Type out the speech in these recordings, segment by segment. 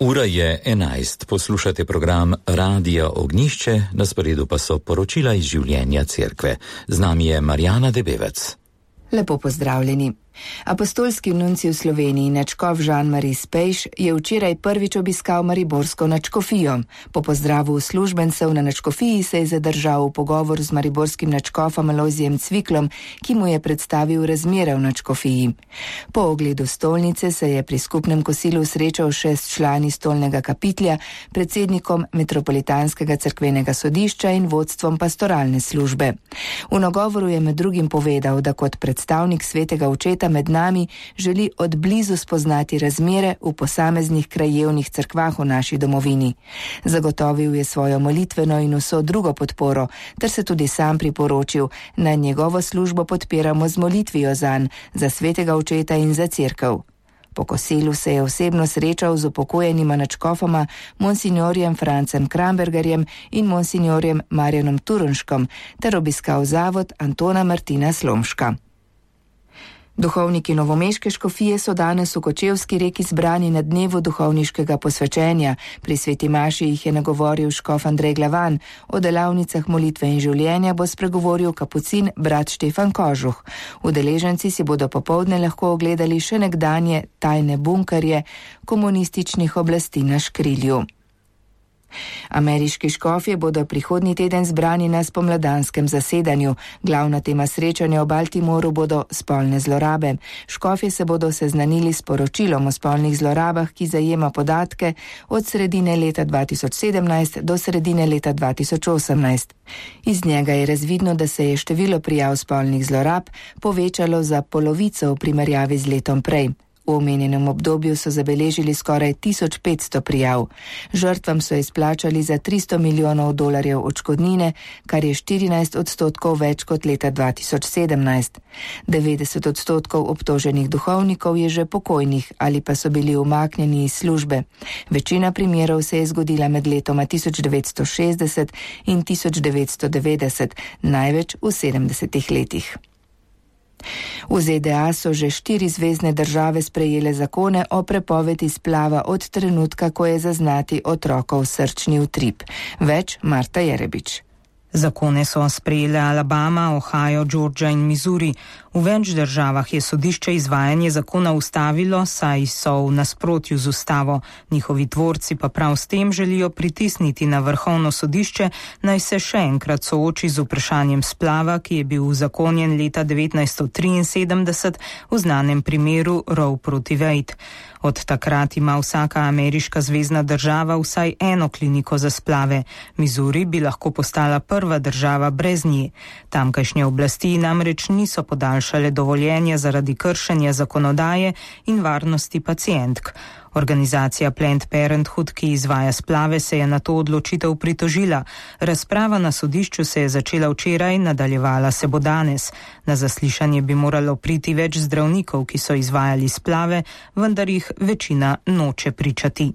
Ura je 11, poslušate program Radia Ognjišče, na sporedu pa so poročila iz življenja cerkve. Z nami je Marjana Debevec. Lepo pozdravljeni. Apostolski nuncij v Sloveniji, nadškof Jean-Marie Spejš, je včeraj prvič obiskal mariborsko nadškofijo. Po pozdravu uslužbencev na nadškofiji se je zadržal v pogovor z mariborskim nadškofom Alojzijem Cviklom, ki mu je predstavil razmere v nadškofiji. Po ogledu stolnice se je pri skupnem kosilu srečal še s člani stolnega kapitlja, predsednikom Metropolitanskega cerkvenega sodišča in vodstvom pastoralne službe. V nagovoru je med drugim povedal, da kot predstavnik svetega očeta med nami želi od blizu spoznati razmere v posameznih krajevnih cerkvah v naši domovini. Zagotovil je svojo molitveno in vso drugo podporo, ter se tudi sam priporočil, naj njegovo službo podpiramo z molitvijo zanj, za svetega očeta in za cerkev. Po kosilu se je osebno srečal z upokojenima nadškofoma monsignorjem Francem Krambergerjem in monsignorjem Marjanom Turnškom ter obiskal zavod Antona Martina Slomška. Duhovniki novomeške škofije so danes v Kočevski Reki zbrani na dnevu duhovniškega posvečenja. Pri sveti maši jih je nagovoril škof Andrej Glavan. O delavnicah molitve in življenja bo spregovoril kapucin brat Štefan Kožuh. Udeleženci si bodo popoldne lahko ogledali še nekdanje tajne bunkerje komunističnih oblasti na Škrilju. Ameriški škofje bodo prihodnji teden zbrani na spomladanskem zasedanju. Glavna tema srečanja v Baltimoru bodo spolne zlorabe. Škofje se bodo seznanili s poročilom o spolnih zlorabah, ki zajema podatke od sredine leta 2017 do sredine leta 2018. Iz njega je razvidno, da se je število prijav spolnih zlorab povečalo za polovico v primerjavi z letom prej. V omenjenem obdobju so zabeležili skoraj 1500 prijav. Žrtvam so izplačali za $300 milijonov odškodnine, kar je 14% več kot leta 2017. 90% obtoženih duhovnikov je že pokojnih ali pa so bili umaknjeni iz službe. Večina primerov se je zgodila med letoma 1960 in 1990, največ v 70 letih. V ZDA so že 4 zvezne države sprejele zakone o prepovedi splava od trenutka, ko je zaznati otrokov srčni utrip. Več Marta Jerebič. Zakone so sprejele Alabama, Ohio, Georgia in Missouri. V več državah je sodišče izvajanje zakona ustavilo, saj so v nasprotju z ustavo. Njihovi tvorci pa prav s tem želijo pritisniti na vrhovno sodišče, naj se še enkrat sooči z vprašanjem splava, ki je bil uzakonjen leta 1973 v znanem primeru Roe proti Wade. Od takrat ima vsaka ameriška zvezna država vsaj eno kliniko za splave. Missouri bi lahko postala prva država brez nje. Tamkajšnje oblasti namreč niso podaljšale dovoljenja zaradi kršenja zakonodaje in varnosti pacientk. Organizacija Planned Parenthood, ki izvaja splave, se je na to odločitev pritožila. Razprava na sodišču se je začela včeraj, nadaljevala se bo danes. Na zaslišanje bi moralo priti več zdravnikov, ki so izvajali splave, vendar jih večina noče pričati.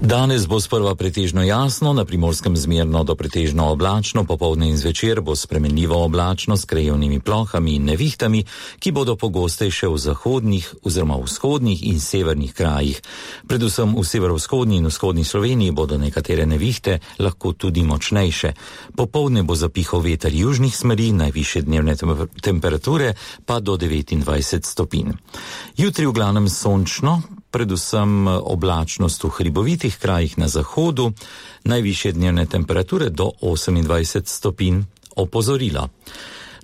Danes bo sprva pretežno jasno, na Primorskem zmerno do pretežno oblačno, popoldne in zvečer bo spremenljivo oblačno s krajevnimi plohami in nevihtami, ki bodo pogostejše v zahodnih oziroma vzhodnih in severnih krajih. Predvsem v severovzhodni in vzhodni Sloveniji bodo nekatere nevihte lahko tudi močnejše. Popoldne bo zapihal veter južnih smeri, najvišje dnevne temperature pa do 29 stopinj. Jutri v glavnem sončno, predvsem oblačnost v hribovitih krajih na zahodu, najvišje dnevne temperature do 28 stopinj. Opozorilo.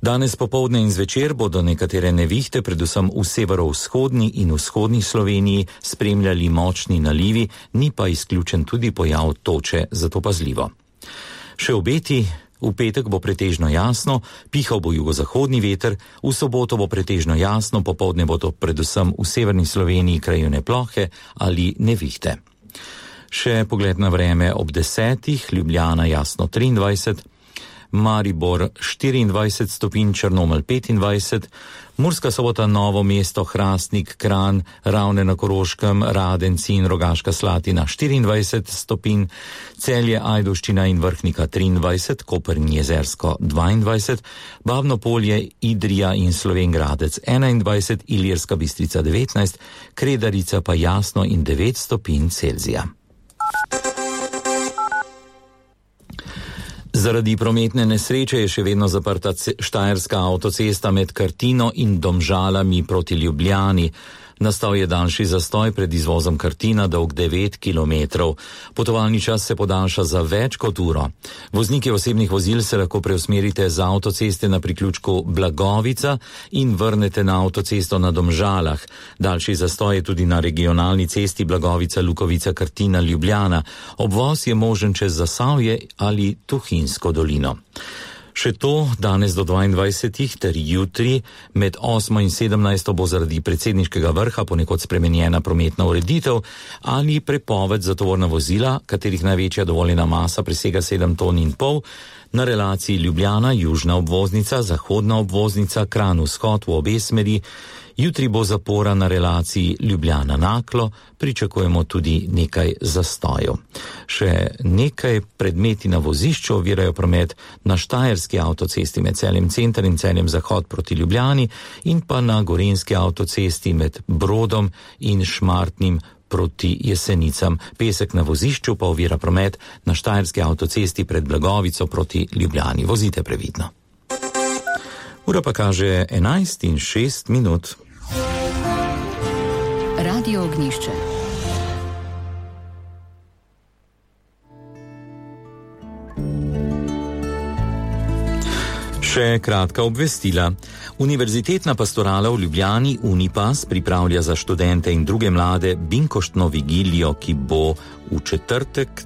Danes popoldne in zvečer bodo nekatere nevihte, predvsem v severovzhodni in vzhodni Sloveniji, spremljali močni nalivi, ni pa izključen tudi pojav toče, zato pazljivo. Še obeti. V petek bo pretežno jasno, pihal bo jugozahodni veter, v soboto bo pretežno jasno, popoldne bodo predvsem v severni Sloveniji krajevne plohe ali nevihte. Še pogled na vreme ob 10, Ljubljana jasno 23, Maribor 24 stopinj, Črnomelj 25, Murska Sobota, Novo mesto, Hrastnik, Kranj, Ravne na Koroškem, Radenci in Rogaška Slatina 24 stopinj, Celje, Ajdovščina in Vrhnika 23, Koper in Jezersko 22, Babno Polje, Idrija in Slovenj Gradec 21, Ilirska Bistrica 19, Kredarica pa Jasno in 9 stopinj Celzija. Zaradi prometne nesreče je še vedno zaprta štajerska avtocesta med Kartino in Domžalami proti Ljubljani. Nastal je daljši zastoj pred izvozom Kartina, dolg 9 kilometrov. Potovalni čas se podaljša za več kot uro. Vozniki osebnih vozil se lahko preusmerite z avtoceste na priključku Blagovica in vrnete na avtocesto na Domžalah. Daljši zastoj je tudi na regionalni cesti Blagovica-Lukovica-Kartina-Ljubljana. Obvoz je možen čez Zasavje ali Tuhinjsko dolino. Še to, danes do 22 ter jutri med 8 in 17 bo zaradi predsedniškega vrha ponekod spremenjena prometna ureditev ali prepoved za tovorna vozila, katerih največja dovoljena masa presega 7,5 ton na relaciji Ljubljana, južna obvoznica, zahodna obvoznica, Kranj vzhod v obe smeri. Jutri bo zapora na relaciji Ljubljana-Naklo, pričakujemo tudi nekaj zastojev. Še nekaj predmeti na vozišču ovirajo promet na štajerski avtocesti med Celjem Center in Celjem Zahod proti Ljubljani in pa na gorenjski avtocesti med Brodom in Šmartnim proti Jesenicam. Pesek na vozišču pa ovira promet na štajerski avtocesti pred Blagovico proti Ljubljani. Vozite previdno. Ura pa kaže 11:06. Radio Ognjišče. Še kratka obvestila. Univerzitetna pastorala v Ljubljani Unipas pripravlja za študente in druge mlade binkoštno vigilijo, ki bo v četrtek,